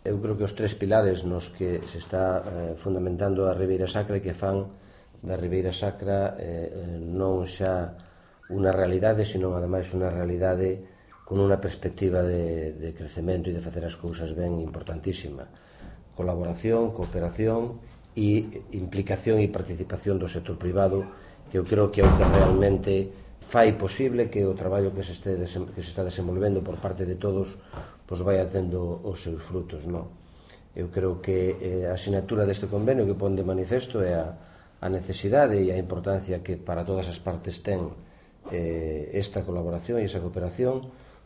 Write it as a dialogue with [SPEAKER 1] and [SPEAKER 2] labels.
[SPEAKER 1] Eu creo que os tres pilares nos que se está fundamentando a Ribeira Sacra e que fan da Ribeira Sacra non xa unha realidade, sino ademais unha realidade con unha perspectiva de crecemento e de facer as cousas ben importantísima. Colaboración, cooperación e implicación e participación do sector privado, que eu creo que é o que realmente fai posible que o traballo que se está desenvolvendo por parte de todos pois vai tendo os seus frutos, non? Eu creo que a asignatura deste convenio que pon de manifesto é a necesidade e a importancia que para todas as partes ten esta colaboración e esa cooperación,